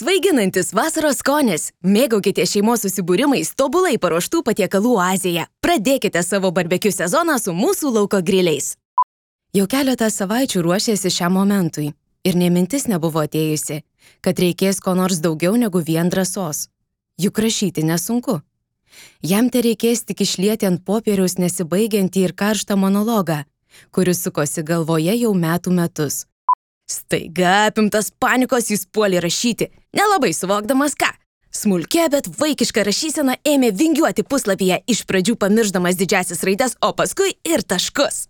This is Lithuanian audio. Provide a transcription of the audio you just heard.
Svaiginantis vasaros skonis. Mėgaukite šeimos susibūrimais tobulai paruoštų patiekalų Azija. Pradėkite savo barbekiu sezoną su mūsų lauko griliais. Jau keletą savaičių ruošėsi šiam momentui. Ir nė mintis nebuvo atėjusi, kad reikės ko nors daugiau negu vien drąsos. Juk rašyti nesunku. Jam tereikės tik išlieti ant popieriaus nesibaigiantį ir karštą monologą, kuris sukosi galvoje jau metų metus. Staiga apimtas panikos jis puolė rašyti, nelabai suvokdamas ką. Smulkia, bet vaikiška rašysena ėmė vingiuoti puslapyje, iš pradžių pamiršdamas didžiąsias raides, o paskui ir taškus.